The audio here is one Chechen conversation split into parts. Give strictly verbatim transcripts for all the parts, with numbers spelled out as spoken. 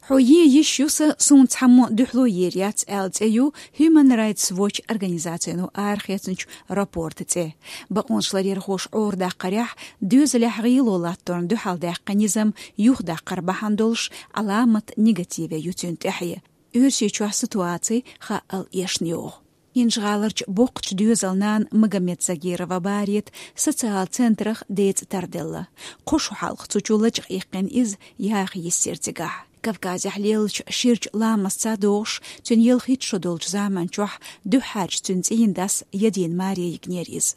Хьо е йиш ю сан, суна цхьаммо дуьхьало ер яц аьлла цӀе ю Human Rights Watch организацино арахецначу рапорта цӀе. Бакъонаш ларъярхоша Ӏорадаккхарехь, доьзалехь гӀело латторна дуьхьалдаьккхина низам юхадаккхар бахьана долуш Ӏаламат негативе ю цуьнан тӀаьхье. Оьрсийчохь ситуаци хаъал эшна йогӀу. ХӀинжа-ГӀаларчу боккхачу доьзалан нана Магомед Загирова Барета социал центрах децӀа тарделла. Кхо шо хьалха цу чу лачкъа иккхина иза, яха йиссира цигахь. Кавказехь леллачу ширачу ламастца догӀуш, цуьнан ялхитта шо долчу заман чохь дуьххьарчу цуьнан цӀийнан дас Ядин Маре йигнера иза.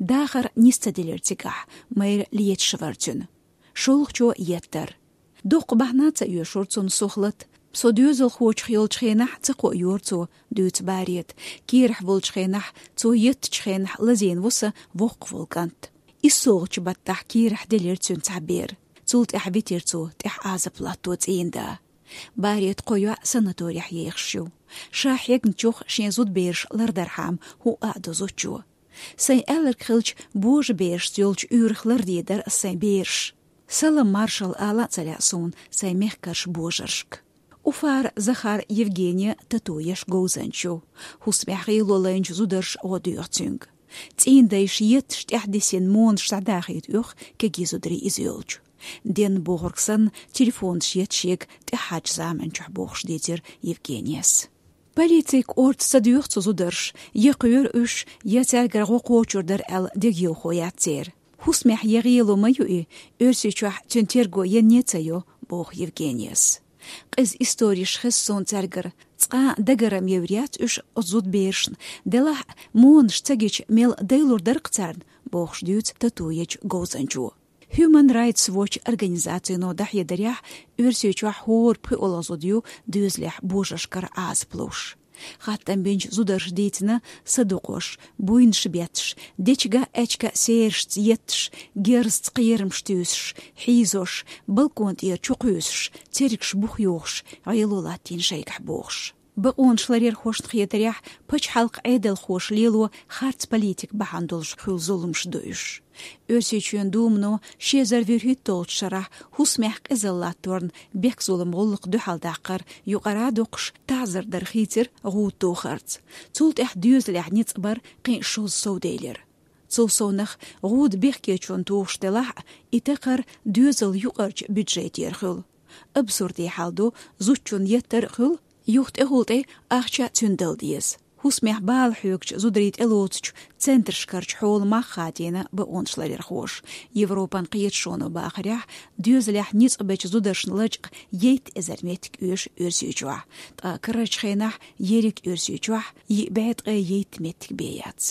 Дахар нис ца делира цигахь, майра леташ вара цуьнан. ШолгӀачо еттара. Доккха бахьана ца оьшура цунна сухлат. Со доьзалхочух йолчу хенахь ца кхоайора цо, дуьйцу Барета. Кийрахь волчу хенахь, цо еттачу хенахь лазийна ву сан воккхах волу кӀант. ИссолгӀачу баттахь кийрахь делира цуьнан цхьа бер. Цул тӀаьхьа витира цо тӀехь Ӏазап латто цӀийнан да. Барета кхо йоӀ санаторехь ехаш ю. Ша хьегначух шен зудабераш лардархьама хӀуъа а до зудчо. Сайн аьлларг хилча, божаберашца йолчу уьйрах лардийр дара ас сайн бераш. Салам маршалла ала а ца лаьа суна сайн мехкарчу божаршка. Уфара Захар Евгения тату еш говзанча ю. ХӀусамехь гӀело лайначу зударша гӀо доьху цуьнга. ЦӀийнан дайша етташ тӀаьхьадисина монаш схьадахийта оьху кегий зударий иза йолчу. Денна бохург санна, телефонаш етта шега тӀаьххьарчу заман чохь, бохуш дийцира Евгенияс. Полицийга орца ца доьху цу зударша, я кхоьру уьш, я цаьргара гӀо кхочур дара аьлла дегайовхо яц церан. ХӀусамехь я гӀело ма ю и, Оьрсийчохь цуьнан терго енна а ца йо, боху Евгенияс. Къиза историш хеза суна цаьргара, цкъа а дагарам евр яц уьш оцу зудаберашна, делахь а монаш ца гича мел дайлур дара-кх царна, бохуш дуьйцу тату ечу говзанчо. Human Rights Watch организацино дӀахьедарехь, Оьрсийчохь хӀора пхоьалгӀа зуда ю доьзалехь божаршкара Ӏазап луш. Хаттам бинчу зударша дийцина садукъош, буйнаш бетташ, дечиган-аьчкан серашца етташ, герзаца кхерамаш туьйсуш, хьийзош, балкон тӀера чукхуьйсуш, цергаш бух йохуш, гӀело латтийна шайгахь бохуш. Бакъонаш ларъярхошна хетарехь, пачхьалкхан Ӏедалхоша лело харц политика бахьана долуш хуьлу зуламаш ду уьш. Оьрсийчоьнан Думано ши эзар вуьрхӀитталгӀачу шарахь хӀусамехь къизалла латторна бехк-зулам гӀуллакх дуьхьалдаккхар юкъара а доккхуш, таӀзар дар хийцира гӀуда тухарца. Цул тӀаьхьа доьзалехь ницкъ бар кхин а шозза совделира. Цул совнах, гӀуда бехкечунна тухуш делахь а, и такхар доьзалан юкъарчу бюджетера хуьлу. Абсурде хьал ду, зудчунна еттар а хуьлу, юха тӀехула тӀе ахча а цуьнан дала деза. ХӀусамехь бала хьоьгучу зударий тӀелоцучу центрашкарчу хьола мах хадийна бакъонаш ларъярхоша. Европан кхеташоно бахарехь, доьзалехь ницкъ бечу зударшна лачкъа ейтта эзар меттиг оьшу Оьрсийчохь, ткъа карарчу хенахь ерриг Оьрсийчохь йиъ бӀе ткъе ейтта меттиг бен яц.